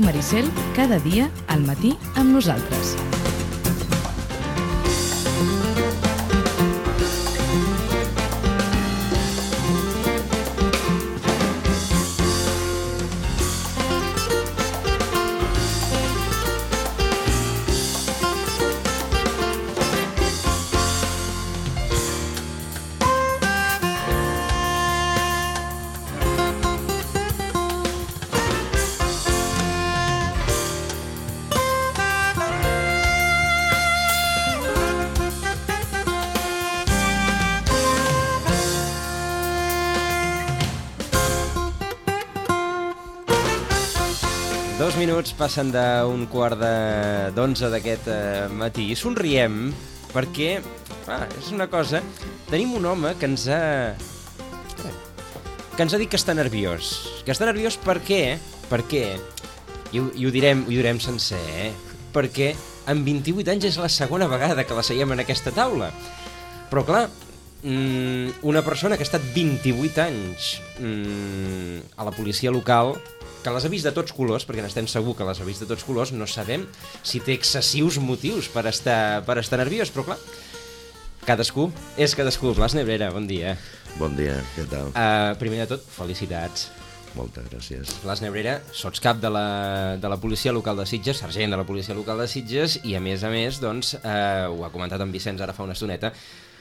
Ràdio Maricel, cada dia al matí amb nosaltres. Minuts passen d'un quart d'11 d'aquest matí i somriem perquè és una cosa, tenim un home que ens ha dit que està nerviós. Per què? Perquè, i ho direm sencer, perquè amb 28 anys és la segona vegada que la seiem en aquesta taula. Però clar, una persona que ha estat 28 anys a la policia local, que les ha vist de tots colors, perquè n'estem segur que les ha vist de tots colors, no sabem si té excessius motius per estar nerviós, però clar, cadascú és cadascú. Blas Nebrera, bon dia. Bon dia, què tal? Primer de tot, felicitats. Moltes gràcies. Blas Nebrera, sots cap de la policia local de Sitges, sergent de la policia local de Sitges, i a més, doncs, ho ha comentat en Vicenç ara fa una estoneta,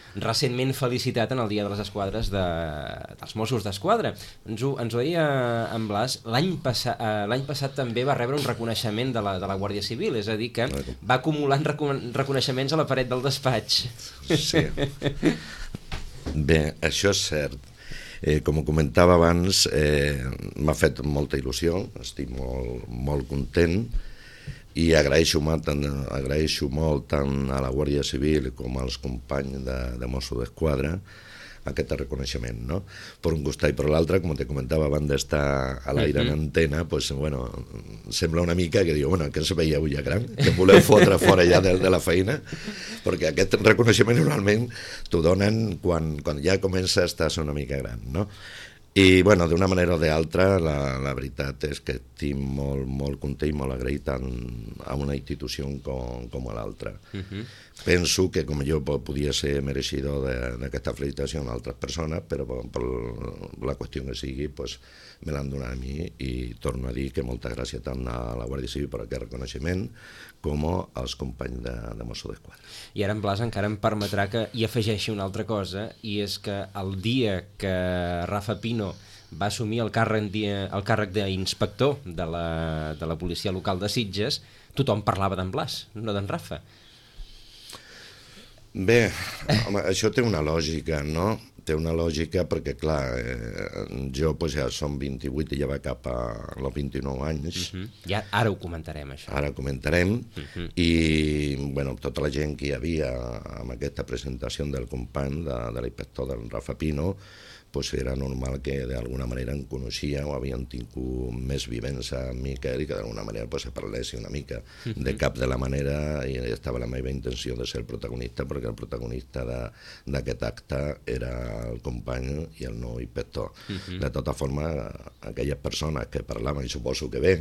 recentment felicitat en el Dia de les Esquadres dels Mossos d'Esquadra. Ens ho deia en Blas, l'any passat també va rebre un reconeixement de la Guàrdia Civil, és a dir que va acumulant reconeixements a la paret del despatx. Sí. Bé, això és cert. Com comentava abans, m'ha fet molta il·lusió, estic molt content, i agraeixo molt tant a la Guàrdia Civil com als companys de Mossos d'Esquadra aquest reconeixement, no? Per un costat i per l'altre, com te comentava abans d'estar a l'aire en antena, pues, bueno, sembla una mica que diu, que se veieu ja gran, que voleu fotre fora ja de la feina, perquè aquest reconeixement normalment t'ho donen quan ja comença a estar una mica gran, no? I, bueno, d'una manera o d'altra, la veritat és que estic molt content i molt agraït tant a una institució com a l'altra. Penso que com jo podia ser mereixidor d'aquesta felicitació a altres persones, però per la qüestió que sigui, pues, me l'han donat a mi i torno a dir que moltes gràcies tant a la Guàrdia Civil per aquest reconeixement com als companys de Mossos d'Esquadra. I ara en Blas encara em permetrà que hi afegeixi una altra cosa, i és que el dia que Rafa Pino va assumir el càrrec d'inspector de la policia local de Sitges, tothom parlava d'en Blas, no d'en Rafa. Bé, home, això té una lògica, no? Té una lògica perquè, clar, jo pues, ja som 28 i ja va cap als 29 anys. Ja, ara ho comentarem, això. Ara ho comentarem. I, bueno, tota la gent que hi havia amb aquesta presentació del company, de l'inspector del Rafa Pino, pues era normal que d'alguna manera em coneixia o havien tingut més vivència amb Miquel i que d'alguna manera pues, se parlessi una mica. De cap de la manera i estava la meva intenció de ser el protagonista, perquè el protagonista d'aquest acte era el company i el nou inspector. De tota forma, aquelles persones que parlaven, i suposo que ve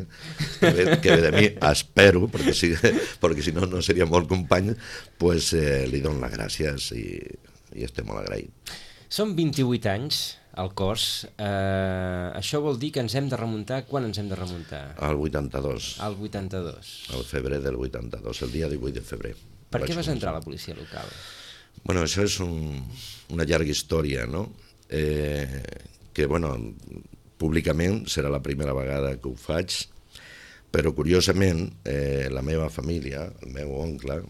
de mi, espero, perquè si no, no seria molt company, pues li dono les gràcies i estic molt agraït. Són 28 anys al cos. Això vol dir que ens hem de remuntar... Quan ens hem de remuntar? Al 82. Al 82. Al febrer del 82, el dia 18 de febrer. Per què vas entrar a la policia local? Bueno, això és una llarga història, no? Que, bueno, públicament serà la primera vegada que ho faig, però curiosament la meva família, el meu oncle,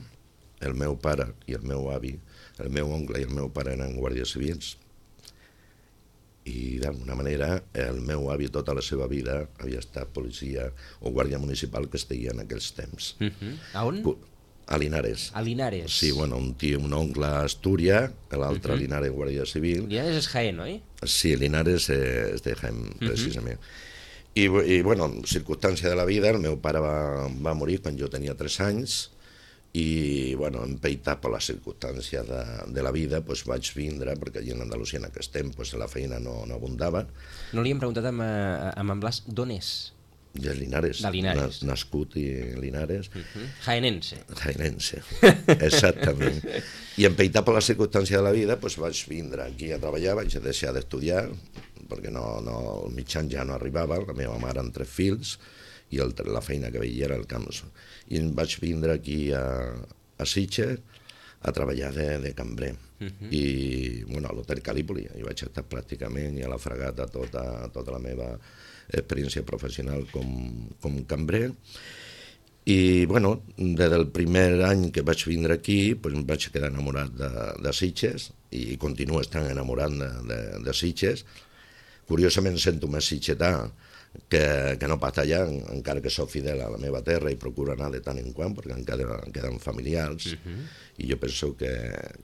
el meu pare i el meu avi, el meu oncle i el meu pare eren guàrdies civils i d'alguna manera el meu avi tota la seva vida havia estat policia o guàrdia municipal que es deia en aquells temps. A on? A Linares. A Linares. Sí, bueno, un oncle a Astúries, l'altre a Linares guàrdia civil. Linares és Jaén, oi? Sí, Linares és de Jaén, precisament. I bueno, circumstància de la vida, el meu pare va morir quan jo tenia 3 anys i, bueno, empeitat per les circumstàncies de la vida, doncs vaig vindre, perquè allà en Andalusia en aquest temps la feina no abundava. No li hem preguntat amb en Blas d'on és? De Linares. De Linares. Nascut i Linares. Jaenense. Jaenense, exactament. I empeitat per la circumstància de la vida, doncs vaig vindre aquí a treballar, vaig deixar d'estudiar, perquè el mitjan ja no arribava, la meva mare amb 3 fills, i la feina que veia era el camp. I vaig vindre aquí a Sitges a treballar de cambrer. I, bueno, a l'Hotel Calípoli, hi vaig estar pràcticament i a la Fragata tota la meva experiència professional com cambrer. I, bueno, des del primer any que vaig vindre aquí, doncs em vaig quedar enamorat de Sitges i continuo estant enamorat de Sitges. Curiosament sento més sitgetà que no pas allà, encara que soc fidel a la meva terra i procuro anar de tant en quant, perquè em queden familiars, i jo penso que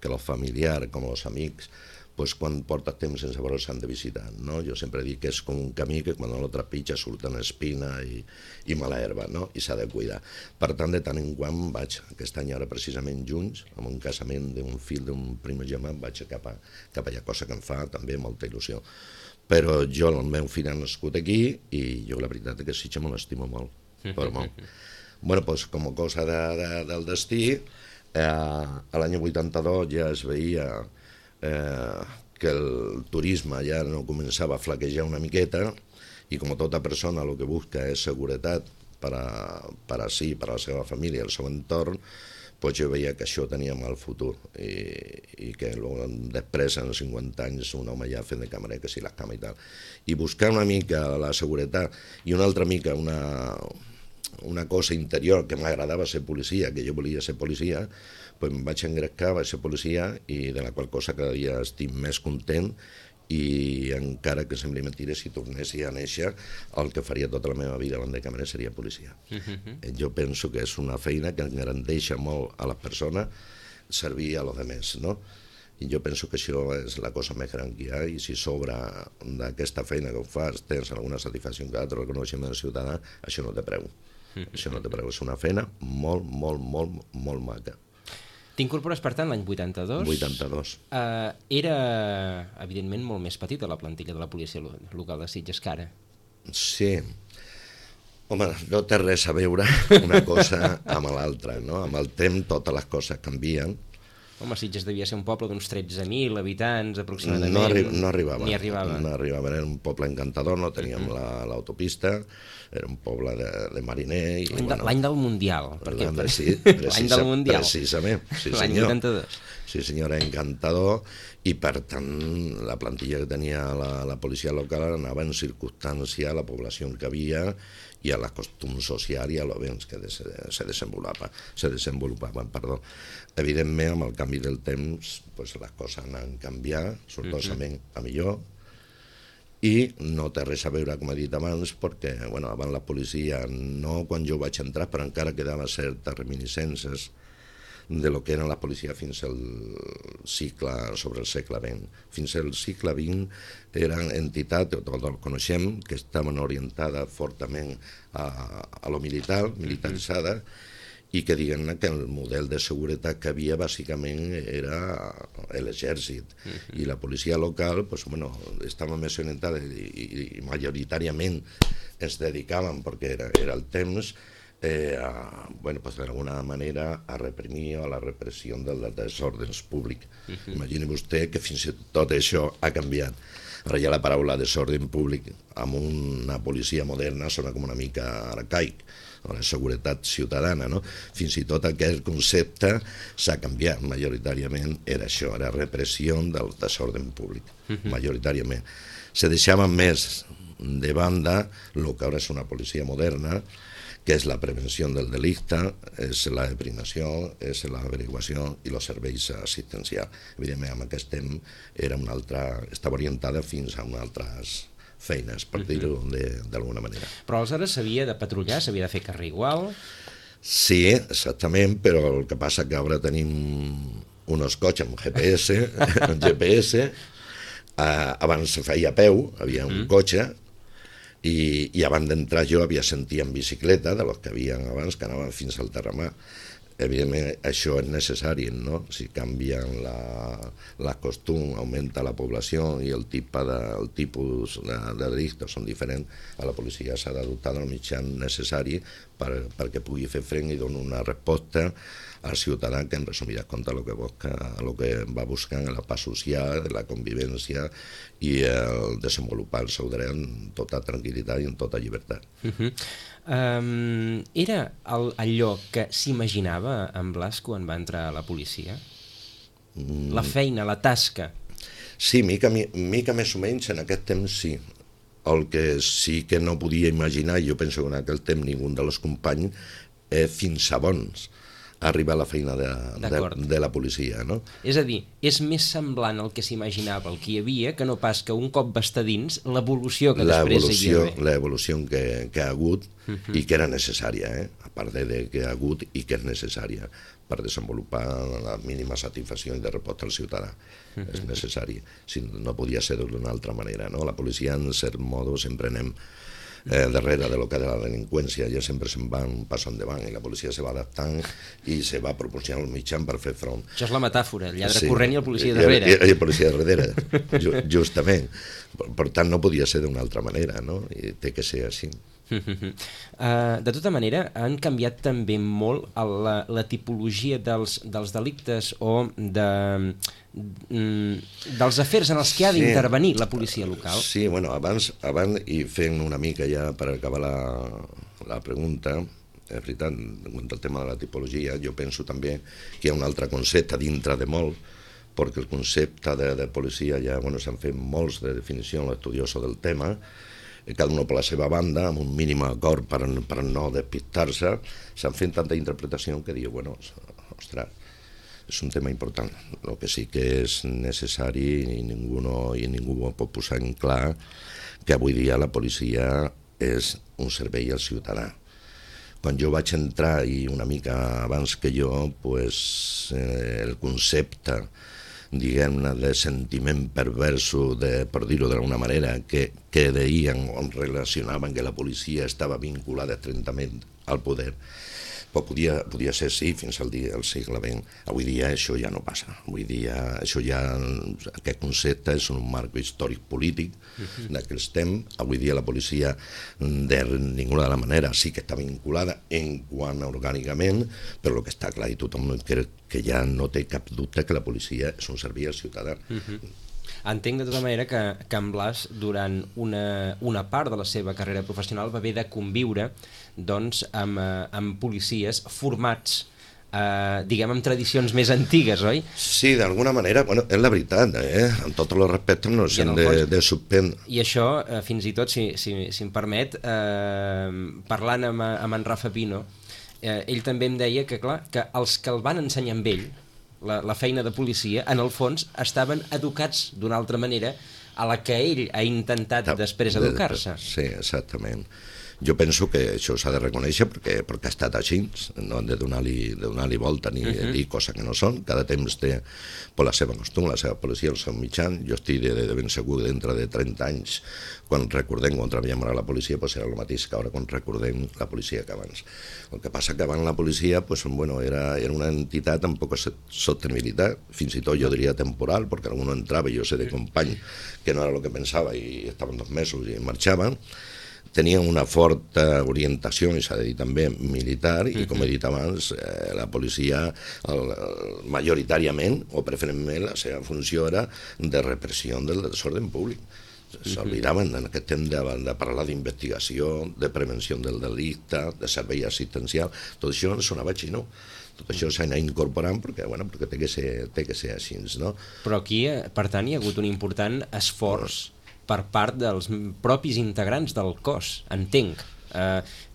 els familiars, com els amics, pues, quan portes temps sense veure s'han de visitar, no? Jo sempre dic que és com un camí que quan no lo trepitja surten espina i mala herba, no? I s'ha de cuidar. Per tant, de tant en quant vaig, aquest any ara precisament junts, amb un casament d'un fill d'un primogènit, vaig cap allà, cosa que em fa també molta il·lusió. Però jo, el meu fill ha nascut aquí i jo la veritat és que Sitges me l'estimo molt, però molt. Bueno, doncs com a cosa del destí, l'any 82 ja es veia que el turisme ja no començava a flaquejar una miqueta i com tota persona el que busca és seguretat per a si, per a la seva família, el seu entorn, doncs jo veia que això tenia mal futur i que després, en 50 anys, un home ja fent de cambrer, que si la cama i tal. I buscar una mica la seguretat i una altra mica una cosa interior que m'agradava ser policia, que jo volia ser policia, doncs em vaig engrescar, vaig ser policia i de la qual cosa cada dia estic més content i encara que sembli mentida, si tornessi a néixer, el que faria tota la meva vida abans de cambrer seria policia. Jo penso que és una feina que garanteix molt a les persones servir a los demés, no? I jo penso que això és la cosa més gran que hi ha i si sobre d'aquesta feina que ho fas tens alguna satisfacció que altre reconeixement ciutadà, això no té preu. Això no té preu, és una feina molt, molt, molt, molt maca. T'incorpores, per tant, l'any 82. 82. Era, evidentment, molt més petita la plantilla de la policia local de Sitges que ara. Sí. Home, no té res a veure una cosa amb l'altra, no? Amb el temps totes les coses canvien. Home, Sitges devia ser un poble d'uns 13.000 habitants, aproximadament. No arribava. Ni arribava. No arribava, era un poble encantador, no teníem l'autopista, era un poble de mariner. L'any del Mundial. Sí, l'any del Mundial. Precisament, sí senyor. L'any 82. Sí senyor, era encantador i per tant la plantilla que tenia la policia local anava en circumstància a la població que havia i a la costum social i a lo bé que se desenvolupaven. Evidentment, amb el canvi del temps, pues, les coses han canviat, sortosament a millor, i no té res a veure, com he dit abans, perquè abans la policia, no quan jo vaig entrar, però encara quedava certes reminiscències de lo que era la policia fins al sobre el segle XX. Fins al segle XX eren entitats, tots el coneixem, que estaven orientades fortament a lo militar, militaritzada, i que diguem que el model de seguretat que havia bàsicament era l'exèrcit. I la policia local estava més orientada i majoritàriament es dedicaven, perquè era el temps, d'alguna manera a reprimir a la repressió dels desordres públics. Imagini vostè que fins i tot això ha canviat. Ara ja la paraula desordre públic amb una policia moderna sona com una mica arcaic, la seguretat ciutadana, no? Fins i tot aquest concepte s'ha canviat, majoritàriament era això, era repressió del desordre públic, majoritàriament. Se deixava més de banda el que ara és una policia moderna, que és la prevenció del delicte, és la deprivació, és l'averiguació i els serveis assistencials. Evidentment, amb aquest temps estava orientada fins a unes altres feines, per dir-ho d'alguna manera. Però aleshores s'havia de patrullar, s'havia de fer carrer igual? Sí, exactament, però el que passa que ara tenim uns cotxes amb GPS, abans se feia a peu, havia un cotxe, i abans d'entrar jo havia sentit en bicicleta, de los que havien abans, que anaven fins al Terramar. evidentment això és necessari, no? Si canvien la costum, augmenta la població i el tipus de delictes són diferents, a la policia s'ha de dotar del mitjà necessari perquè pugui fer front i donar una resposta al ciutadà que en resumides comptes el que va buscant la paz social, la convivència i el desenvolupar el seu dret en tota tranquil·litat i en tota llibertat. Era allò que s'imaginava en Blas quan va entrar a la policia? La feina, la tasca? Sí, mica més o menys en aquest temps sí. El que sí que no podia imaginar, jo penso que en aquell temps ningú dels companys, fins a bons arribar a la feina de la policia, no? És a dir, és més semblant al que s'imaginava, el que hi havia, que no pas que un cop va estar dins, l'evolució que després hi havia. L'evolució que ha hagut i que era necessària, a part de que ha hagut i que és necessària per desenvolupar la mínima satisfacció i de resposta al ciutadà. És necessari. No podia ser d'una altra manera, no? La policia, en cert modo, sempre anem darrere de lo que és la delinqüència, ja sempre se'n va un pas endavant i la policia se va adaptant i se va proporcionant el mitjà per fer front. Això és la metàfora, el lladre corrent i el policia darrere. I el policia darrere, justament. Per tant, no podia ser d'una altra manera, no? I té que ser així. De tota manera, han canviat també molt la tipologia dels delictes o dels afers en els que ha d'intervenir la policia local. Sí, bueno, abans i fent una mica ja per acabar la pregunta, és veritat, en el tema de la tipologia, jo penso també que hi ha un altre concepte dintre de molt, perquè el concepte de policia ja s'han fet molts de definició en l'estudioso del tema, cada un per la seva banda, amb un mínim acord per no despistar-se, s'han fet tanta interpretació que diu, ostres, és un tema important. El que sí que és necessari i ningú ho pot posar en clar que avui dia la policia és un servei al ciutadà. Quan jo vaig entrar, i una mica abans que jo, el concepte diguem-ne, de sentiment perverso, per dir-ho d'alguna manera, que deien o relacionaven que la policia estava vinculada estrictament al poder, però podia ser sí fins al segle XX. Avui dia això ja no passa. Avui dia aquest concepte és un marc històric polític d'aquells temps. Avui dia la policia de ninguna de la manera sí que està vinculada en quant orgànicament, però el que està clar i tothom crec que ja no té cap dubte que la policia és un servei al ciutadà. Entenc de tota manera que en Blas, durant una part de la seva carrera professional, va haver de conviure amb policies formats, diguem, amb tradicions més antigues, oi? Sí, d'alguna manera, és la veritat, amb tots els respectes no s'han de suspendre. I això, fins i tot, si em permet, parlant amb en Rafa Pino, ell també em deia que, clar, que els que el van ensenyar amb ell, la feina de policia, en el fons estaven educats d'una altra manera a la que ell ha intentat després educar-se. Sí, exactament. Jo penso que això s'ha de reconèixer perquè ha estat així, no hem de donar-li volta ni dir coses que no són. Cada temps té la seva costum, la seva policia, el seu mitjan. Jo estic de ben segur que dintre de 30 anys, quan recordem quan treballem a la policia, serà el mateix que ara quan recordem la policia que abans. El que passa que abans la policia era una entitat amb poca sostenibilitat, fins i tot jo diria temporal, perquè algú entrava, jo sé de company, que no era el que pensava i estaven 2 mesos i marxaven. Tenien una forta orientació, i s'ha de dir també, militar, i com he dit abans, la policia majoritàriament, o preferentment, la seva funció era de repressió del desordre públic. S'oblidaven en aquest temps de parlar d'investigació, de prevenció del delicte, de servei assistencial, tot això sonava xino. Tot això s'ha anat incorporant perquè té que ser així, no? Però aquí, per tant, hi ha hagut un important esforç per part dels propis integrants del cos, entenc,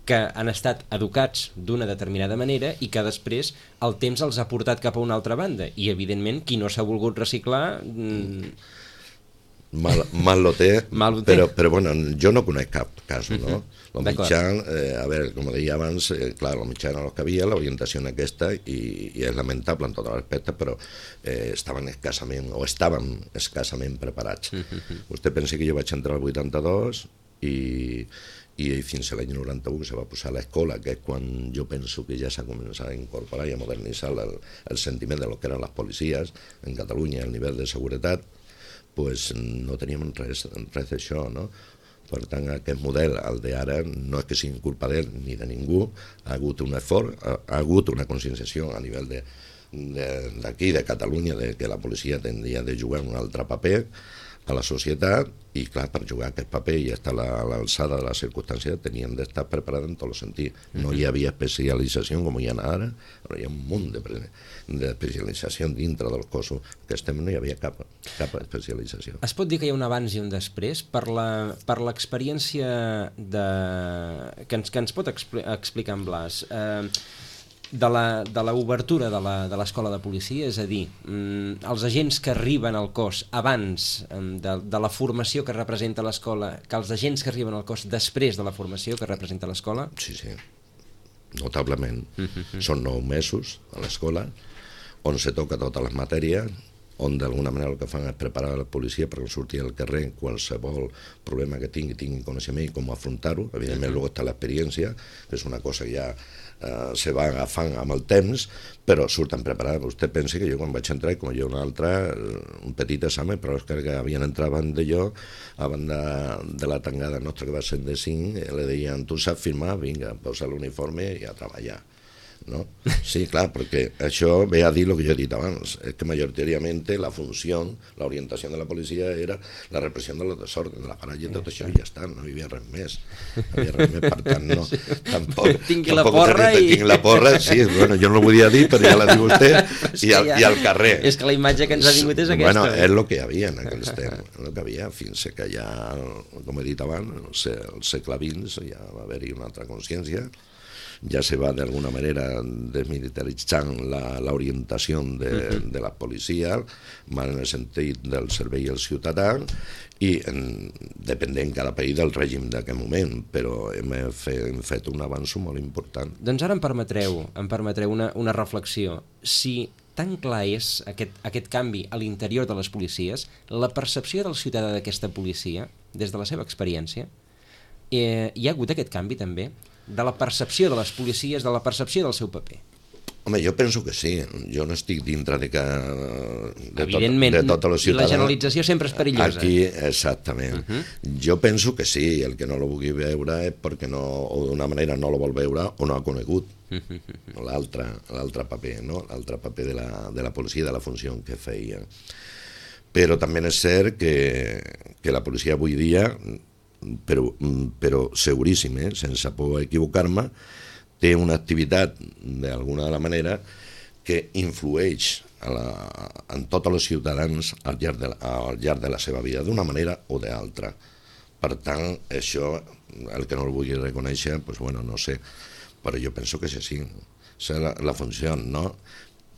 que han estat educats d'una determinada manera i que després el temps els ha portat cap a una altra banda. I, evidentment, qui no s'ha volgut reciclar... Mal lo té, però jo no conec cap cas, no? El mitjà, com deia abans, clar, el mitjà era el que havia, l'orientació en aquesta, i és lamentable en tot l'aspecte, però estaven escassament preparats. Vostè pensa que jo vaig entrar al 82 i i fins a l'any 91 se va posar a l'escola, que és quan jo penso que ja s'ha començat a incorporar i a modernitzar el sentiment de lo que eren les policies en Catalunya, el nivell de seguretat, pues no teníem res d'això, no? Per tant, aquest model, el d'ara, no és que sigui culpa d'ell ni de ningú, ha hagut un esforç, ha hagut una conscienciació a nivell d'aquí, de Catalunya, de que la policia tindria de jugar un altre paper a la societat, i clar, per jugar aquest paper i estar a l'alçada de les circumstàncies tenien d'estar preparats en tots els sentits. No hi havia especialització com hi ha ara, però hi ha un munt d'especialització dintre dels cossos que estem, no hi havia cap especialització. Es pot dir que hi ha un abans i un després per l'experiència que ens pot explicar en Blas, de l'obertura de l'escola de policia, és a dir, els agents que arriben al cos abans de la formació que representa l'escola, que els agents que arriben al cos després de la formació que representa l'escola? Sí, notablement. Són 9 mesos a l'escola, on se toca totes les matèries, on d'alguna manera el que fan és preparar la policia per sortir al carrer qualsevol problema que tingui coneixement i com afrontar-ho. Evidentment, luego està l'experiència, que és una cosa que ja se va agafant amb el temps, però surten preparats. Vostè pensa que jo quan vaig entrar, com jo un altre, un petit examen, però és que havien entrat abans de jo, abans de la tangada nostra que va ser de 5, le deien, tu saps firmar? Vinga, posa l'uniforme i a treballar. ¿No? Sí, clar, perquè això ve a dir el que jo he dit abans, és que majoritàriament la funció, la orientació de la policia era la repressió de los desordres, la paralla i tot això, i ja està, no hi havia res més. Per tant, no, tampoc... Tinc la porra i... Tinc la porra, sí, bueno, jo no ho volia dir, però ja la diu vostè, i al carrer. És que la imatge que ens ha vingut és aquesta. Bueno, és el que hi havia en aquells temps, el que havia, fins que ja, com he dit abans, al segle XX ja va haver-hi una altra consciència, ja se va d'alguna manera desmilitaritzant l'orientació de la policia, en el sentit del servei al ciutadà, i dependent cada país del règim d'aquest moment, però hem fet un avanç molt important. Doncs ara em permetreu una reflexió. Si tan clar és aquest canvi a l'interior de les policies, la percepció del ciutadà d'aquesta policia, des de la seva experiència, hi ha hagut aquest canvi també? De la percepció de les policies, de la percepció del seu paper? Home, jo penso que sí. Jo no estic dintre de evidentment, tota la ciutadana. La generalització sempre és perillosa. Aquí, exactament. Jo penso que sí, el que no lo vulgui veure és perquè o d'una manera no lo vol veure o no ha conegut l'altre paper, no? L'altre paper de la policia, de la funció que feia. Però també és cert que la policia avui dia, però seguríssim, sense por a equivocar-me, té una activitat d'alguna manera que influeix en tots els ciutadans al llarg de la seva vida, d'una manera o d'altra. Per tant, això, el que no el vulgui reconèixer, doncs, bueno, no sé, però jo penso que és així. És la funció, no?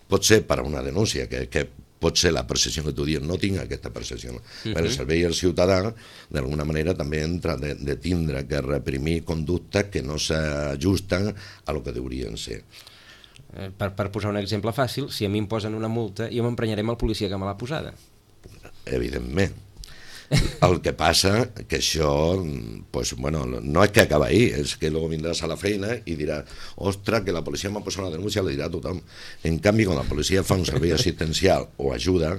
Pot ser per a una denúncia, que pot ser la percepció que tu dius, no tinc aquesta percepció. El servei al ciutadà, d'alguna manera, també entra de tindre que reprimir conductes que no s'ajusten a lo que deurien ser. Per posar un exemple fàcil, si a mi em posen una multa, jo m'emprenyaré amb el policia que me l'ha posada. Evidentment. El que passa que això, pues, bueno, no és que acaba ahí, és que luego vindràs a la feina i diràs, ostres, que la policia m'ha posat una denúncia, le dirà a tothom. En canvi, quan la policia fa un servei assistencial o ajuda,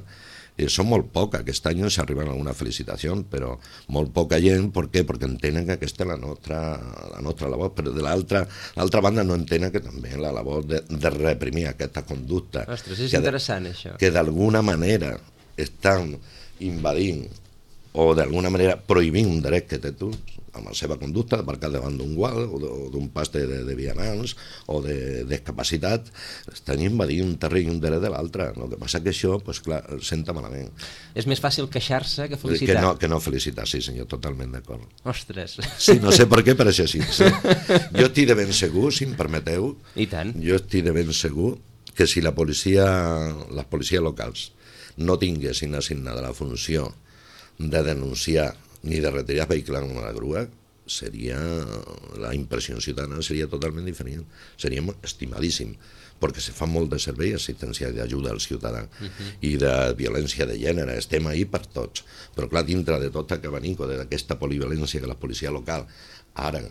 són molt poc. Aquest any s'arriben a alguna felicitació, però molt poca gent. Per què? Perquè entenen que aquesta és la nostra labor, però de l'altra banda no entenen que també la labor de reprimir aquesta conducta. Ostres, és interessant això. Que d'alguna manera estan invadint o d'alguna manera prohibint un dret que té tu amb la seva conducta, d'aparcar davant d'un gual o d'un pas de vianants o de discapacitat, estan invadint un terreny i un dret de l'altre. El que passa que això, pues, clar, senta malament. És més fàcil queixar-se que felicitar. Que no felicitar, sí senyor, totalment d'acord. Ostres. Sí, no sé per què, però això sí. Jo estic de ben segur, si em permeteu, i tant. Jo estic de ben segur que si les policies locals no tinguessin assignada la funció de denunciar ni de retirar vehicles amb la grua, la impressió ciutadana seria totalment diferent. Seríem estimadíssim, perquè se fa molt de servei assistencial d'ajuda al ciutadà i de violència de gènere, estem ahí per tots, però clar, dintre de tot aquest abanico d'aquesta polivalència que la policia local ara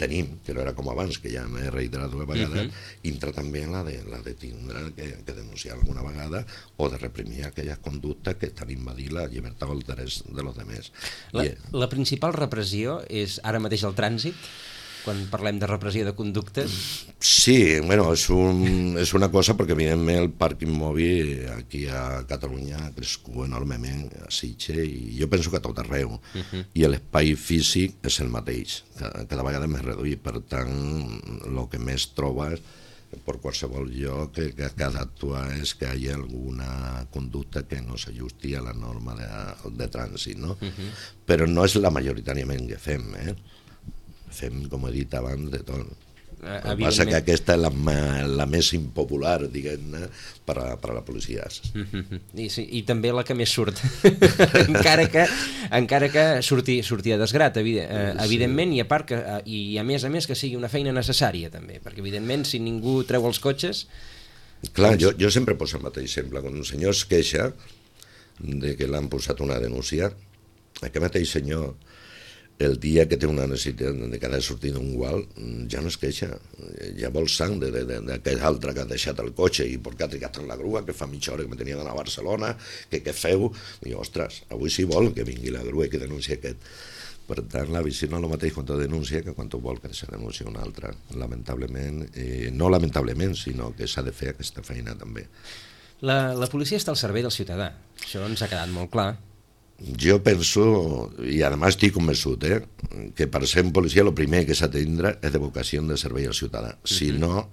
tenim, que no era com abans, que ja m'he reiterat una vegada, entra també la de tindre que denunciar alguna vegada o de reprimir aquelles conductes que estan invadint la llibertat o el drets de los demés. La principal repressió és ara mateix el trànsit? Quan parlem de repressió de conductes? Sí, bueno, és una cosa perquè evidentment el parc immòbil aquí a Catalunya ha crescut enormement a Sitges i jo penso que a tot arreu i l'espai físic és el mateix, cada vegada més reduït, per tant el que més trobes per qualsevol lloc que ha d'actuar és que hi ha alguna conducta que no s'ajusti a la norma de trànsit, no? Però no és la majoritàriament que fem, fem, com he dit abans, de tot. El que passa que aquesta és la més impopular, diguem-ne, per a la policia. I també la que més surt. encara que surti a desgrat, evidentment, i a part i a més que sigui una feina necessària, també, perquè evidentment si ningú treu els cotxes... Clar, jo sempre poso el mateix exemple. Quan un senyor es queixa de que l'han posat una denúncia, aquest mateix senyor, el dia que té una necessitat de que ha de sortir d'un gual, ja no es queixa, ja vol sang d'aquell altre que ha deixat el cotxe i perquè ha trigat en la grua, que fa mitja hora que me tenia d'anar a Barcelona, que què feu? I ostres, avui sí vol que vingui la grua i que denuncia aquest. Per tant, la visió no és el mateix quan tu denuncia que quan tu vol que se denuncia un altre. Lamentablement, no lamentablement, sinó que s'ha de fer aquesta feina també. La policia està al servei del ciutadà, això ens ha quedat molt clar. Jo penso, i a més estic convençut, que per ser un policia el primer que s'ha de tindre és de vocació de servei al ciutadà. Si no,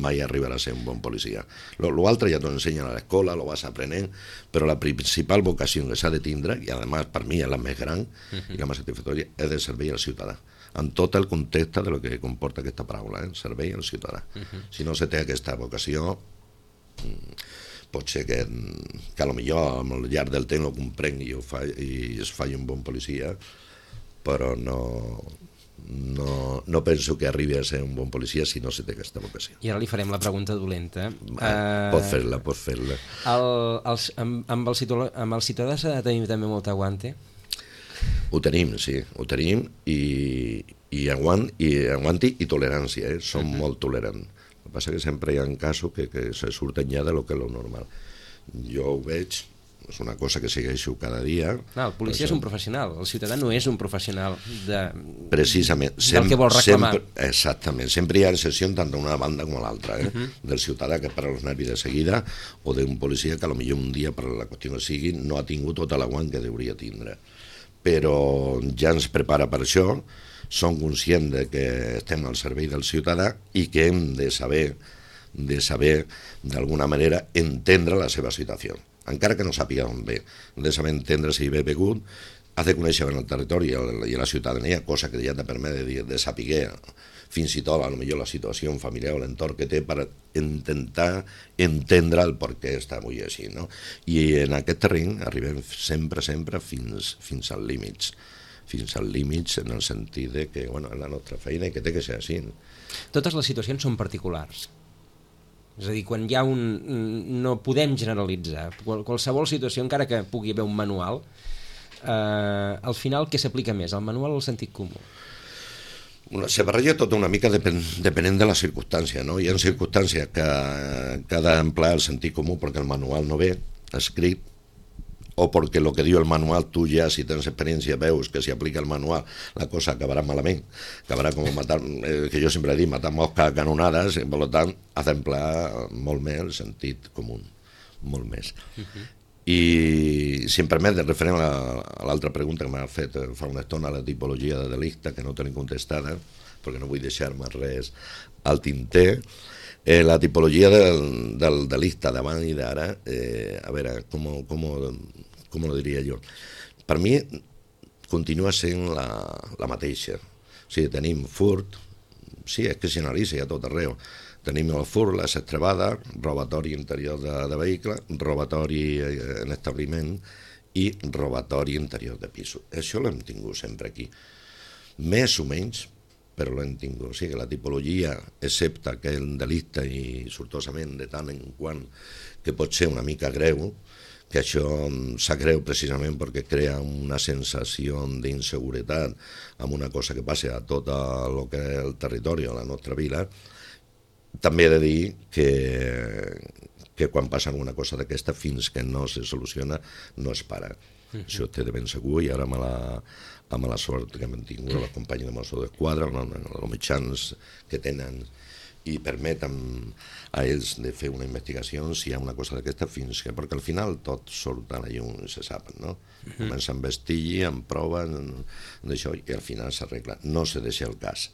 mai arribarà a ser un bon policia. L'altre ja t'ho ensenyen a l'escola, lo vas aprenent, però la principal vocació que s'ha de tindre, i a més per mi és la més gran i la més satisfactòria, és de servei al ciutadà, en tot el context de lo que comporta aquesta paraula, servei al ciutadà. Si no se té aquesta vocació, pot ser que potser al llarg del temps ho comprengui i es faci un bon policia, però no penso que arribi a ser un bon policia si no se té aquesta vocació. I ara li farem la pregunta dolenta. Pot fer-la. Amb el ciutadà s'ha de tenir també molt aguante? Ho tenim, sí, ho tenim, i aguanti i tolerància, som molt tolerants. El que passa que sempre hi ha casos que se surten ja de lo que és lo normal. Jo ho veig, és una cosa que segueixo cada dia. El policia és un professional, el ciutadà no és un professional precisament del que vol reclamar. Exactament, sempre hi ha excepció tant d'una banda com a l'altra, del ciutadà que para els nervis de seguida o d'un policia que potser un dia per la qüestió que sigui no ha tingut tot l'aguant que hauria tindre. Però ja ens prepara per això, som conscients de que estem al servei del ciutadà i que hem de saber d'alguna manera entendre la seva situació, encara que no sàpiga on ve. Hem de saber entendre si ve begut, has de conèixer el territori i la ciutadania, cosa que ja te permet de saber fins i tot potser la situació familiar o l'entorn que té per intentar entendre el per què està avui així, no? I en aquest terreny arribem sempre fins als límits, en el sentit de que és la nostra feina i que té que ser així. Totes les situacions són particulars. És a dir, quan hi ha no podem generalitzar. Qualsevol situació, encara que pugui haver un manual, al final què s'aplica més, el manual o el sentit comú? Se barreja tot una mica depenent de la circumstància, no? Hi ha circumstàncies que ha d'emplear el sentit comú perquè el manual no ve escrit, o perquè el que diu el manual tu ja, si tens experiència, veus que si aplica el manual la cosa acabarà malament, acabarà com matar, que jo sempre he dit, matar mosques a canonades, i per tant has d'emplear molt més el sentit comú, molt més. I si em permet, referent a l'altra pregunta que m'ha fet fa una estona, la tipologia de delicte, que no tenim contestada, perquè no vull deixar-me res al tinter, la tipologia del delicte d'abans i d'ara, a veure, com lo diria jo? Per mi continua sent la mateixa. O sigui, tenim furt, sí, és que s'analitza a tot arreu. Tenim el furt, la estrebada, robatori interior de vehicle, robatori en establiment i robatori interior de pisos. Això l'hem tingut sempre aquí. Més o menys, però l'hem tingut. O sigui, la tipologia, excepte aquell delicte i sortosament de tant en quant que pot ser una mica greu, que això s'ha greu precisament perquè crea una sensació d'inseguretat amb una cosa que passa a tot el que és el territori o la nostra vila. També he de dir que quan passa alguna cosa d'aquesta, fins que no se soluciona, no es para. Això té de ben segur, i ara amb la sort que hem tingut la companya de Mossos d'Esquadra, els mitjans que tenen i permeten a ells de fer una investigació si hi ha una cosa d'aquesta, fins que, perquè al final tot surt a la llum i se sap, no? Comença amb vestiggi, amb proves d'això, i al final s'arregla. No se deixa el cas,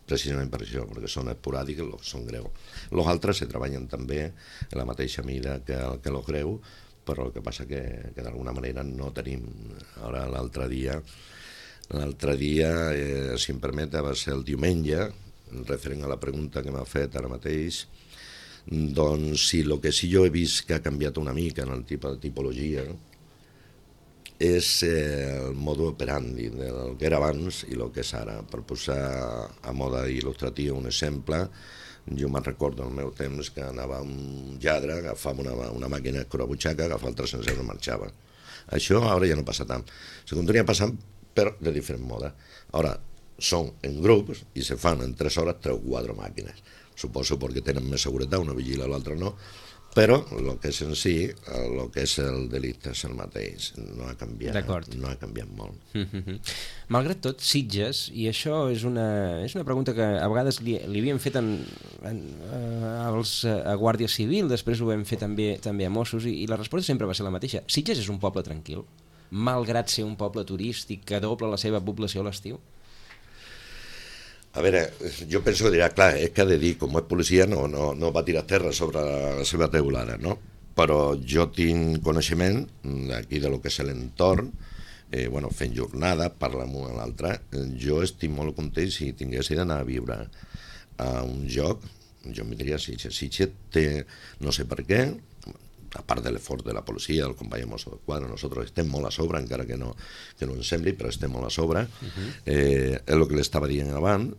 precisament per això, perquè són esporàdics, són greus. Els altres se treballen també en la mateixa mida que els greus, però el que passa que d'alguna manera no tenim. Ara l'altre dia, si em permet, va ser el diumenge, referent a la pregunta que m'ha fet ara mateix, doncs si el que sí jo he vist que ha canviat una mica en el tipus de tipologia és el mode operandi del que era abans i el que és ara. Per posar a mode il·lustratiu un exemple, jo me'n recordo al meu temps que anava un lladre, agafava una màquina escurabutxaca, agafava el 300 euros i marxava. Això ara ja no passa tant. Se continua passant, però de diferent moda. Ara, són en grups i se fan en 3 hores 3 o 4 màquines. Suposo perquè tenen més seguretat, una vigila, l'altra no, però el que és en si, el que és el delicte és el mateix, no ha canviat molt. Malgrat tot, Sitges, i això és una pregunta que a vegades li havíem fet a Guàrdia Civil, després ho vam fer també a Mossos, i la resposta sempre va ser la mateixa. Sitges és un poble tranquil, malgrat ser un poble turístic que dobla la seva població a l'estiu? A veure, jo penso que dirà, clar, és que ha de dir, com és policia, no va tirar terra sobre la seva teulada, no? Però jo tinc coneixement d'aquí de lo que és l'entorn, fent jornada, parla amb un a l'altre. Jo estic molt content si tingués d'anar a viure a un lloc, jo em diria Sitges. Sitges té, no sé per què, a part de l'esforç de la policia, del company de Mossos d'Esquadra, nosaltres estem molt a sobre, encara que no ens sembli, però estem molt a sobre. És el que l'estava dient abans,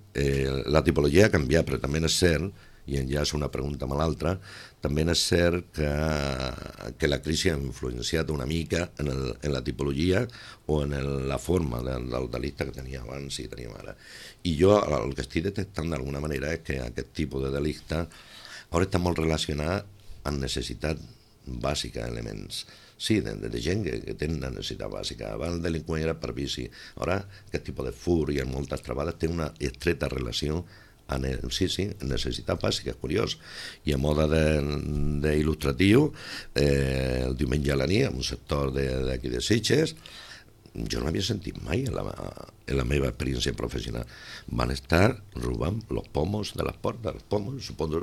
la tipologia ha canviat, però també és cert, i ja és una pregunta amb l'altra, també és cert que la crisi ha influenciat una mica en la tipologia o en la forma del delicte que tenia abans i teníem ara. I jo el que estic detectant d'alguna manera és que aquest tipus de delicte ara està molt relacionat amb necessitat bàsica, elements. Sí, de gent que té una necessitat bàsica. Abans el delinqüent era per vici. Ara, aquest tipus de fur i en moltes trobades té una estreta relació amb necessitat bàsica, és curiós. I a moda d'il·lustratiu, el diumenge a la nit, en un sector d'aquí de Sitges, jo no havia sentit mai en la meva experiència professional. Van estar robant els pomos de les portes,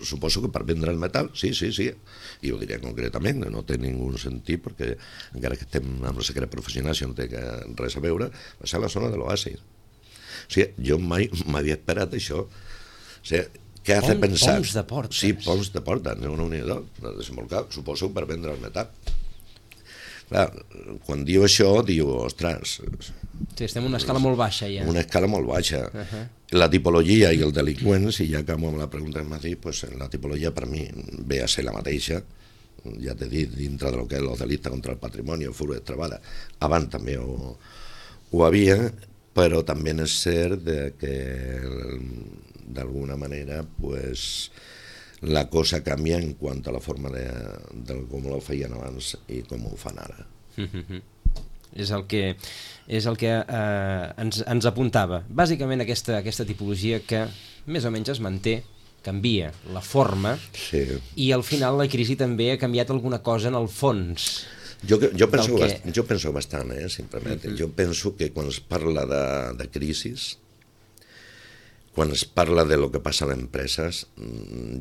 suposo que per vendre el metal, sí, i ho diré concretament, no té ningú sentit, perquè encara que estem amb el secret professional, això no té res a veure, va ser a la zona de l'Oasis. O sigui, jo mai m'havia esperat això. O sigui, què has de pensar? Poms de portes. Sí, poms de portes, una unió de desembolcar, suposo per vendre el metal. Clar, quan diu això, diu, ostres... Sí, estem en una escala molt baixa, ja. Una escala molt baixa. La tipologia i el delinqüent, si ja acabo amb la pregunta que m'ha dit, pues la tipologia per mi ve a ser la mateixa, ja t'he dit, dintre del que és el delicte contra el patrimoni, el fur de trebada. Abans també ho havia, però també és cert que d'alguna manera, pues, la cosa canvia en quant a la forma de com ho feien abans i com ho fan ara. És el que ens apuntava. Bàsicament aquesta tipologia que més o menys es manté, canvia la forma, sí. I al final la crisi també ha canviat alguna cosa en el fons. Jo penso bastant, si em permet. Jo penso que quan es parla de crisis, quan es parla de lo que passa a les empreses,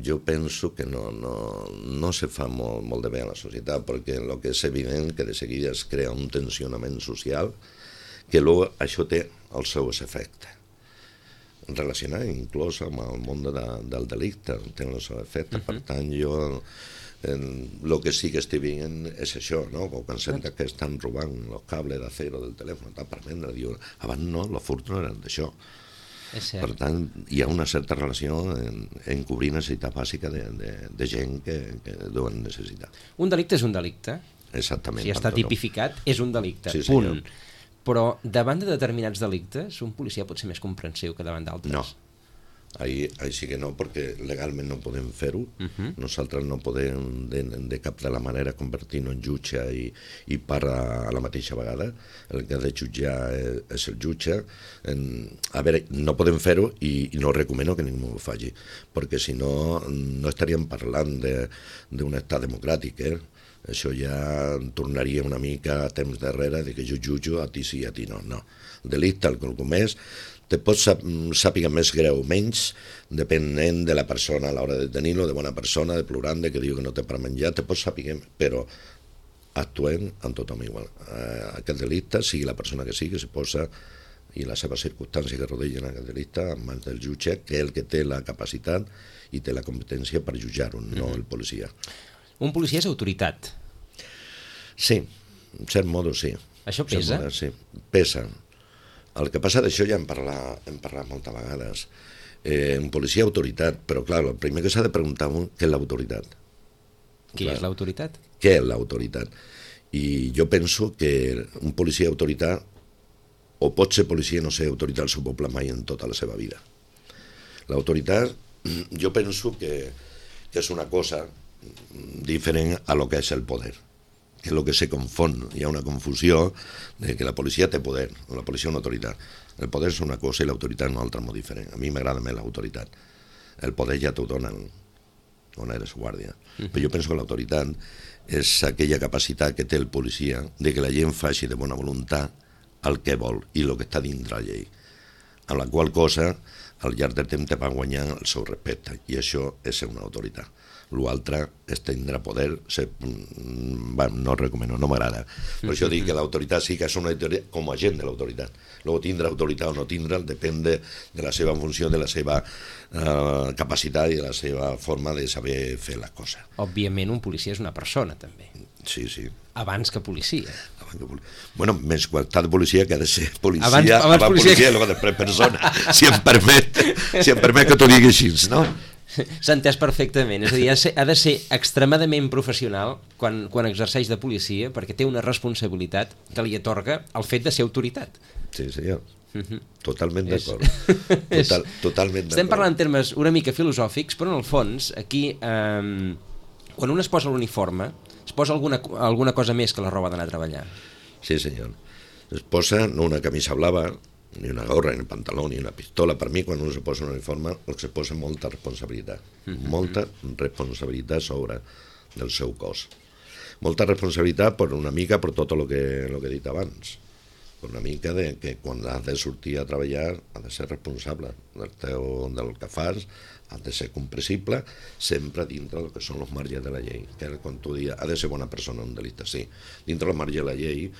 jo penso que no se fa molt de bé a la societat, perquè el que és evident que de seguida es crea un tensionament social que luego això té els seus efectes. Relacionat inclús amb el món del delicte, té els seus efectes. Per tant, jo el que sí que estic veient és això, no? Quan senten que estan robant els cables d'acero del telèfon per vendre, diuen, abans no, els furts no eren d'això. És cert. Per tant, hi ha una certa relació en cobrir necessitat bàsica de gent que deuen necessitar. Un delicte és un delicte. Exactament. Si està tipificat, és un delicte, Sí, punt. Però davant de determinats delictes, un policia pot ser més comprensiu que davant d'altres. No. Ahí sí que no, perquè legalment no podem fer-ho. Nosaltres no podem de cap de la manera convertir-nos en jutge i part a la mateixa vegada. El que ha de jutjar és el jutge. A veure, no podem fer-ho i no recomano que ningú ho faci, perquè si no, no estaríem parlant d'un estat democràtic, Això ja tornaria una mica a temps darrere de que jo jutjo, a ti sí, a ti no. No. El delicte, el que el comès, te pot sàpiga més greu o menys, depenent de la persona a l'hora de tenir-lo, de bona persona, de plorant, de que diu que no té per menjar, te pot sàpiga, però actuem amb tothom igual. Aquest delicte, sigui la persona que sigui, se posa i les seves circumstàncies que rodegen aquest delicte en mans del jutge, que és el que té la capacitat i té la competència per jutjar-ho, no el policia. Un policia és autoritat. Sí, en cert modo sí. Això pesa? Sí, pesa. El que passa d'això ja hem parlat moltes vegades. Un policia autoritat, però clar, el primer que s'ha de preguntar què és l'autoritat. Qui és l'autoritat? Què és l'autoritat? I jo penso que un policia autoritat o pot ser policia i no ser autoritat al seu poble mai en tota la seva vida. L'autoritat jo penso que és una cosa diferent a lo que és el poder, que és el que se confon. Hi ha una confusió de que la policia té poder, o la policia és una autoritat. El poder és una cosa i l'autoritat és una altra molt diferent. A mi m'agrada més l'autoritat. El poder ja t'ho donen on eres guàrdia. Però jo penso que l'autoritat és aquella capacitat que té el policia de que la gent faci de bona voluntat el que vol i el que està dintre la llei, amb la qual cosa al llarg del temps te va guanyar el seu respecte, i això és ser una autoritat. L'altre és tindre poder, no recomano, no m'agrada. Per això dic que l'autoritat sí que és una autoritat com a agent de l'autoritat. Luego tindre autoritat o no tindre depèn de la seva funció, de la seva capacitat i de la seva forma de saber fer les coses. Òbviament un policia és una persona també. Sí, sí. Abans que policia. Bueno, més qualitat de policia que ha de ser policia, abans policia i després persona, si em permet que t'ho digui així, no? S'ha entès perfectament, és a dir, ha de ser extremadament professional quan exerceix de policia, perquè té una responsabilitat que li atorga el fet de ser autoritat. Sí, senyor. Totalment d'acord. Totalment d'acord. Estem parlant en termes una mica filosòfics, però en el fons, aquí, quan un es posa l'uniforme, es posa alguna cosa més que la roba d'anar a treballar. Sí, senyor. Es posa no una camisa blava, ni una gorra, ni un pantaló, ni una pistola. Per mi, quan un se posa un uniforme, el que se posa molta responsabilitat. Molta responsabilitat sobre del seu cos. Molta responsabilitat per una mica per tot el que he dit abans. Per una mica de que quan has de sortir a treballar has de ser responsable del que fas, has de ser comprensible, sempre dintre del que són els marges de la llei. Que quan tu dius, ha de ser bona persona un delicte, sí. Dintre del marge de la llei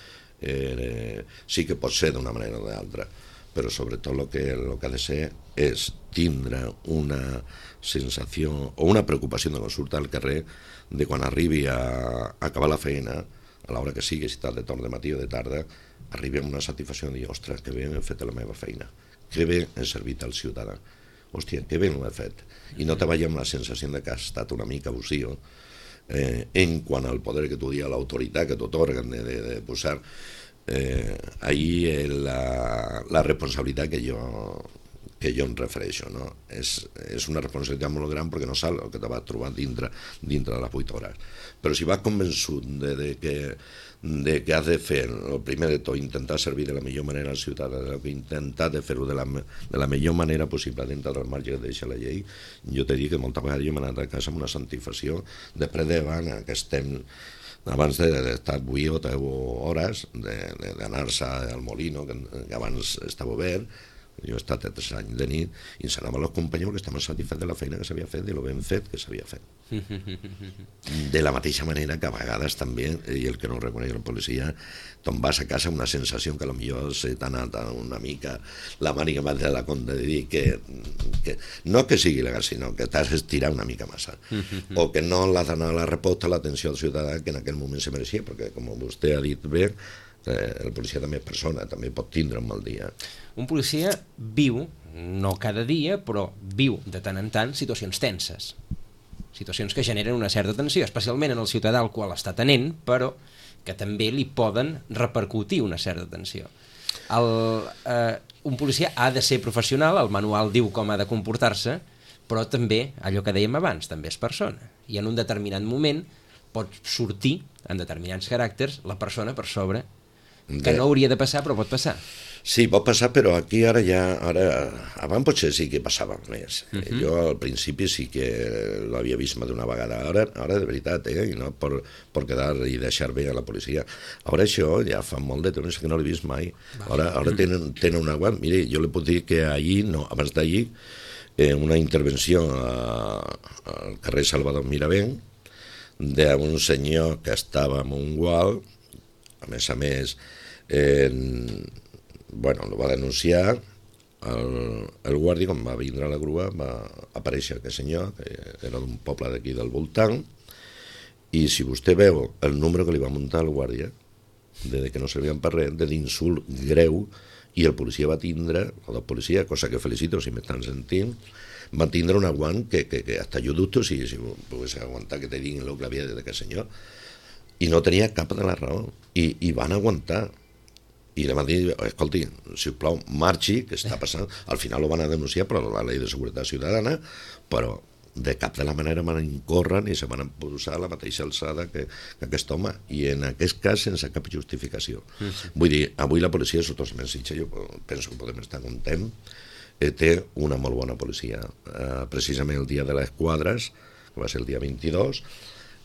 sí que pot ser d'una manera o d'altra, però sobretot el que ha de ser és tindre una sensació o una preocupació de quan surt al carrer de quan arribi a acabar la feina, a l'hora que sigui, si estàs de torn de matí o de tarda, arribi amb una satisfacció de dir, ostres, que bé he fet la meva feina, que bé he servit al ciutadà, hòstia, que bé l'he fet, i no te vagi amb la sensació de que has estat una mica abusiu en quant al poder que tu dius, l'autoritat que t'otorguen de posar ahí la responsabilitat que jo em refereixo, no? És una responsabilitat molt gran perquè no saps el que te vas trobar dintre de les 8 hores, però si vas convençut de que has de fer el primer de tot, intentar servir de la millor manera al ciutadà, intentar de fer-ho de la millor manera possible dintre del marge que deixa la llei, jo t'he dit que moltes vegades jo m'he anat a casa amb una satisfacció després davant aquest temps abans d'estar 8 o 10 hores d'anar-se al Molino, que abans estava obert. Jo he estat 3 anys de nit i ens anaven els companys que estaven satisfets de la feina que s'havia fet i el ben fet que s'havia fet. De la mateixa manera que a vegades també, i el que no reconeix la policia, te'n vas a casa amb una sensació que potser se t'ha anat una mica la màniga més de la compte de dir que no que sigui legal, sinó que t'has estirat una mica massa, o que no l'has donat la resposta a l'atenció al ciutadà que en aquell moment se mereixia, perquè com vostè ha dit bé, el policia també és persona, també pot tindre un mal dia. Un policia viu, no cada dia, però viu de tant en tant situacions tenses, situacions que generen una certa tensió, especialment en el ciutadà al qual està atenent, però que també li poden repercutir una certa tensió. Un policia ha de ser professional, el manual diu com ha de comportar-se, però també, allò que dèiem abans, també és persona. I en un determinat moment pot sortir, en determinats caràcters, la persona per sobre, que no hauria de passar, però pot passar. Sí, pot passar, però aquí ara abans potser sí que passava més. Jo al principi sí que l'havia vist més d'una vegada. Ara de veritat, i no per quedar i deixar bé a la policia. Ara això ja fa molt de temps que no l'he vist mai. Ara tenen un aguant. Mire, jo li puc dir que ahir, no, abans d'ahir, una intervenció al carrer Salvador Miravent d'un senyor que estava en un gual, a més, bueno, el va denunciar, el guàrdia, quan va vindre a la grua, va aparèixer aquest senyor, que era d'un poble d'aquí del voltant, i si vostè veu el número que li va muntar el guàrdia, de que no servien per res, d'insult greu, i el policia va tindre, o del policia, cosa que felicito si m'estan sentint, va tindre un aguant que hasta jo dubto si pogués aguantar que te diguin el que havia dit aquest senyor, i no tenia cap de la raó, i van aguantar. I li van dir, escolti, sisplau, marxi, que està passant. Al final ho van a denunciar per la llei de seguretat ciutadana, però de cap de la manera van incórrer ni se van posar a la mateixa alçada que aquest home, i en aquest cas sense cap justificació. Vull dir, avui la policia de Sottosa Sitges, jo penso que podem estar content, té una molt bona policia. Precisament el dia de les quadres, que va ser el dia 22,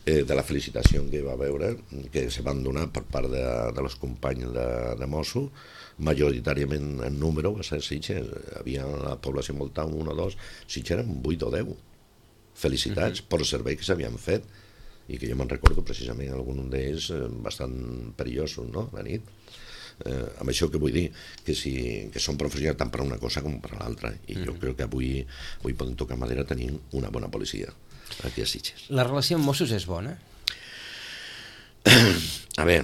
de la felicitació que va veure, que se van donar per part de els companys de Mosso, majoritàriament en número, va ser Sitges, havia la població envoltant 1 o 2, Sitges eren 8 o 10. Felicitats per servei que s'havien fet, i que jo me'n recordo precisament algun d'ells bastant perillosos, no?, la nit. Amb això que vull dir, que són professionals tant per una cosa com per l'altra, i jo crec que avui podem tocar madera tenint una bona policia aquí a Sitges. La relació amb Mossos és bona? A veure,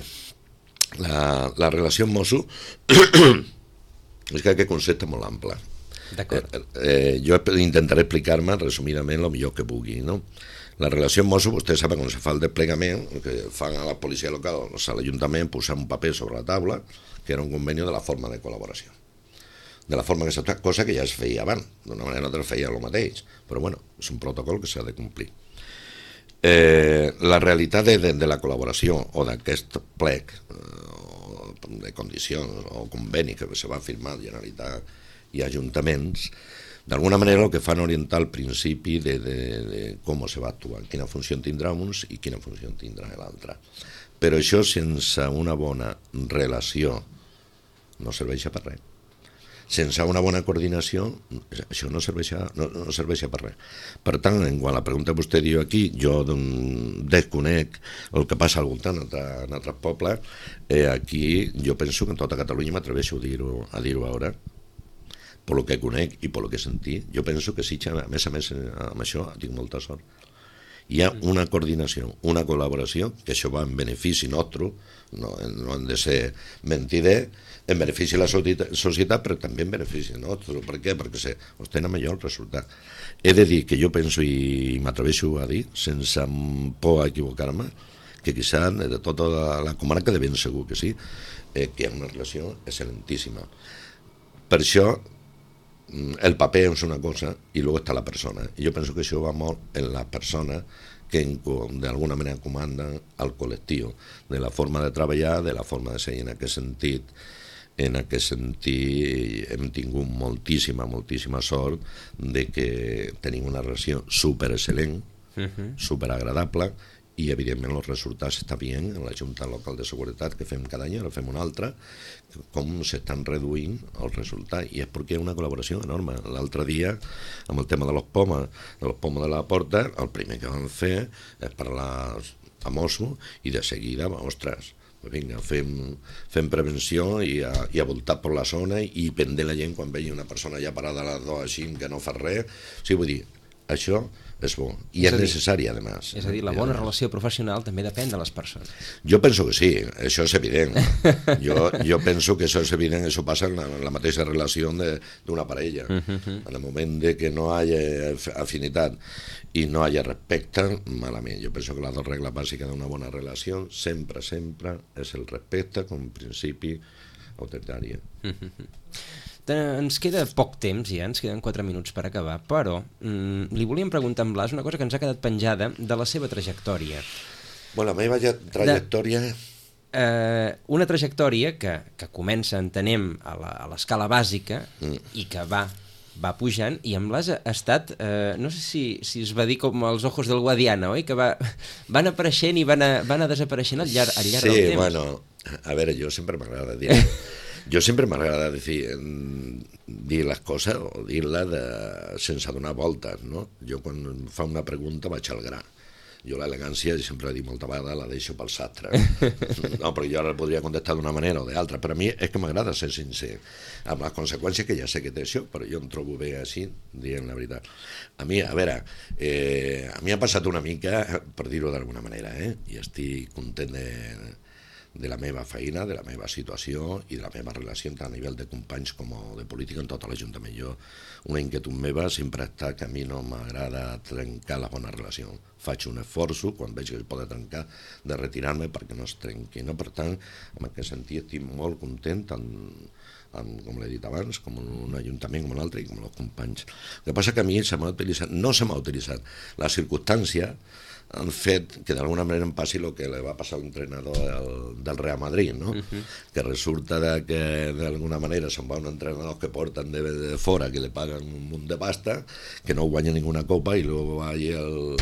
la relació amb Mossos és que aquest concepte és molt ample. D'acord. Jo intentaré explicar-me resumidament el millor que pugui, no? La relació amb Mossos, vostè sap quan se fa el desplegament, que fan a la policia local, o sigui, a l'Ajuntament, posar un paper sobre la taula, que era un conveni de la forma de col·laboració. De la forma que s'ha fet, cosa que ja es feia abans, d'una manera o altra feia el mateix, però bueno, és un protocol que s'ha de complir. La realitat de la col·laboració o d'aquest plec de condicions o conveni que se va firmar Generalitat i Ajuntaments, d'alguna manera el que fan orientar el principi de com se va actuar, quina funció tindrà uns i quina funció tindrà l'altra. Però això sense una bona relació no serveix per res. Sense una bona coordinació, això no serveix per res. Per tant, en quant a la pregunta que vostè diu aquí, jo desconec el que passa al voltant en altres pobles. Aquí jo penso que en tota Catalunya m'atreveixo a dir-ho ara, per lo que conec i per lo que sentí. Jo penso que Sitges, a més, amb això tinc molta sort. Hi ha una coordinació, una col·laboració, que això va en benefici nostre, no hem de ser mentiders, en benefici de la societat, però també en benefici nostre. Per què? Perquè s'obtenen millor el resultat. He de dir que jo penso, i m'atreveixo a dir, sense por a equivocar-me, que quizà de tota la comarca de ben segur que sí, que hi ha una relació excel·lentíssima. Per això, el paper és una cosa i luego està la persona. I jo penso que això va molt en la persona que d'alguna manera comanda el col·lectiu, de la forma de treballar, de la forma de ser. En aquest sentit hem tingut moltíssima sort de que tenim una relació superexcel·lent, superagradable, i evidentment els resultats estan bien en la Junta Local de Seguretat que fem cada any, ara fem una altra, com s'estan reduint els resultats, i és perquè hi ha una col·laboració enorme. L'altre dia, amb el tema de los pomes de la porta, el primer que vam fer és parlar a Mossos i de seguida, ostres, vinga, fem prevenció i a voltar per la zona i prendre la gent quan vegi una persona ja parada a les 2 així que no fa res. O sigui, vull dir, això és bo i és necessari, a més. És a dir, la bona relació professional també depèn de les persones. Jo penso que sí, això és evident. Jo penso que això és evident, això passa en la mateixa relació d'una parella. En el moment de que no hi hagi afinitat i no hi hagi respecte, malament. Jo penso que la regla bàsica d'una bona relació sempre és el respecte com a principi autoritari. Ens queda poc temps ja, ens queden 4 minuts per acabar, però li volíem preguntar a en Blas una cosa que ens ha quedat penjada de la seva trajectòria. Bueno, la meva trajectòria... Una trajectòria que comença, entenem, a l'escala bàsica i que va pujant, i en Blas ha estat, no sé si es va dir com els ojos del Guadiana, oi? Que van apareixent i van anar desapareixent al llarg del temps. Sí, bueno, a veure, jo sempre m'agrada dir... Jo sempre m'agrada dir les coses o dir-les sense donar voltes, no? Jo quan em fa una pregunta vaig al gra. Jo l'elegància, sempre he dit molta vegada, la deixo pel sastre. No, perquè jo ara podria contestar d'una manera o d'altra, però a mi és que m'agrada ser sincer, amb les conseqüències que ja sé que té això, però jo em trobo bé així, dient la veritat. A mi, a veure, a mi ha passat una mica, per dir-ho d'alguna manera, i estic content de la meva feina, de la meva situació i de la meva relació tant a nivell de companys com de política en tot l'Ajuntament. Jo, una inquietud meva sempre està que a mi no m'agrada trencar la bona relació. Faig un esforç, quan veig que es pot trencar, de retirar-me perquè no es trenqui. No? Per tant, en aquest sentit estic molt content, tant com l'he dit abans, com un ajuntament, com un altre, i com els companys. El que passa que a mi no se m'ha utilitzat la circumstància han fet que d'alguna manera em passi el que li va passar a l'entrenador del Real Madrid, no? Que resulta que d'alguna manera se'n va un entrenador que porten de fora, que li paguen un munt de pasta, que no guanya ninguna copa, i luego va allí el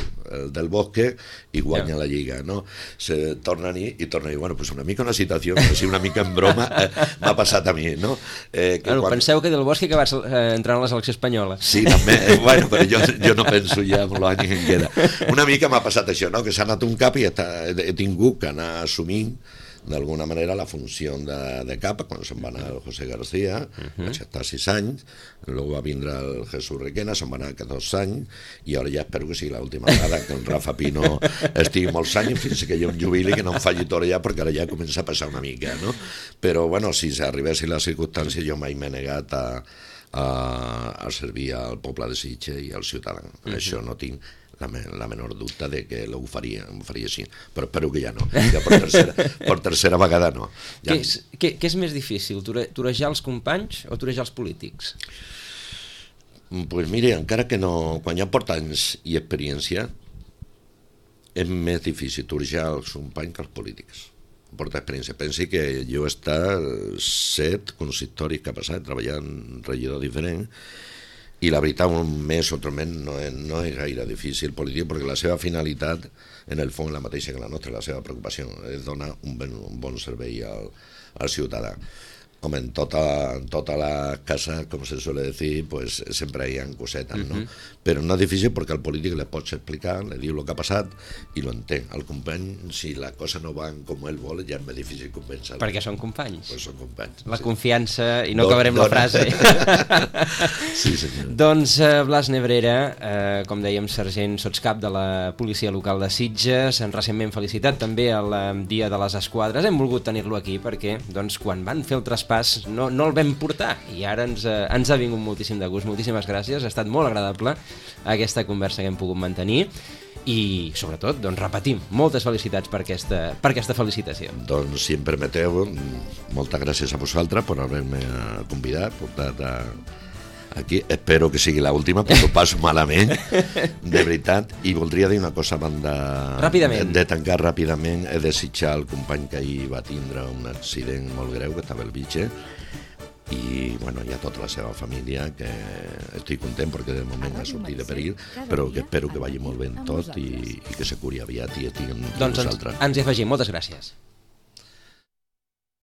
del Bosque i guanya la Lliga, no? Se torna a dir, bueno, pues una mica una situació, així una mica en broma, m'ha passat a mi, no? Penseu que del Bosque que vas entrar a la selecció espanyola. Sí, també, bueno, però jo no penso ja en l'any que em queda. Una mica m'ha passat això, no? Que s'ha anat un cap i he tingut que anar assumint d'alguna manera la funció de cap, quan se'n va anar el José García, vaig estar 6 anys, luego va vindre el Jesús Requena, se'n va anar 14 anys, i ara ja espero que sigui l'última vegada que el Rafa Pino estigui molts anys fins que jo em jubili, que no em falli tot ja, perquè ara ja comença a passar una mica, no? Però, bueno, si s'arribessin les circumstàncies, jo mai m'he negat a servir al poble de Sitges i als ciutadans. Això no tinc la menor dubte de que ho faria així, però espero que ja no, ja per tercera vegada no. Ja. Què és més difícil, torejar els companys o torejar els polítics? Pues mire, encara que no, quan ja porta anys i experiència, és més difícil torejar els companys que els polítics. Porta experiència. Pensi que jo he estat 7 consistoris que ha passat treballant regidor diferent, i la veritat, un mes o 3 mesos no és gaire difícil polític, perquè la seva finalitat en el fons és la mateixa que la nostra, la seva preocupació és donar un bon servei al ciutadà. Com en tota la casa, com se suele decir, pues sempre hi ha cosetes, no? Però no és difícil perquè al polític li pots explicar, li diu el que ha passat i lo entén. Al company, si la cosa no va com ell vol, ja és més difícil convèncer-lo. Perquè són companys. Pues són companys. La confiança, i no acabarem la frase. Sí, senyor. Doncs Blas Nebrera, com dèiem, sergent sotscap de la policia local de Sitges, recentment felicitat també al Dia de les Esquadres. Hem volgut tenir-lo aquí perquè, doncs, quan van fer el traspàs no el vam portar, i ara ens ha vingut moltíssim de gust. Moltíssimes gràcies, ha estat molt agradable aquesta conversa que hem pogut mantenir, i sobretot, doncs, repetim, moltes felicitats per aquesta felicitació. Doncs, si em permeteu, moltes gràcies a vosaltres per haver-me convidat, portat aquí. Espero que sigui l'última, perquè ho passo malament, de veritat. I voldria dir una cosa abans de tancar ràpidament. He desitjat al company que ahir va tindre un accident molt greu, que estava al Vitge, i bueno, hi ha tota la seva família, que estic content perquè de moment ha sortit de perill, però que espero que vagi molt bé tot i que se curi aviat i estigui amb Doncs vosaltres. ens hi afegim. Moltes gràcies.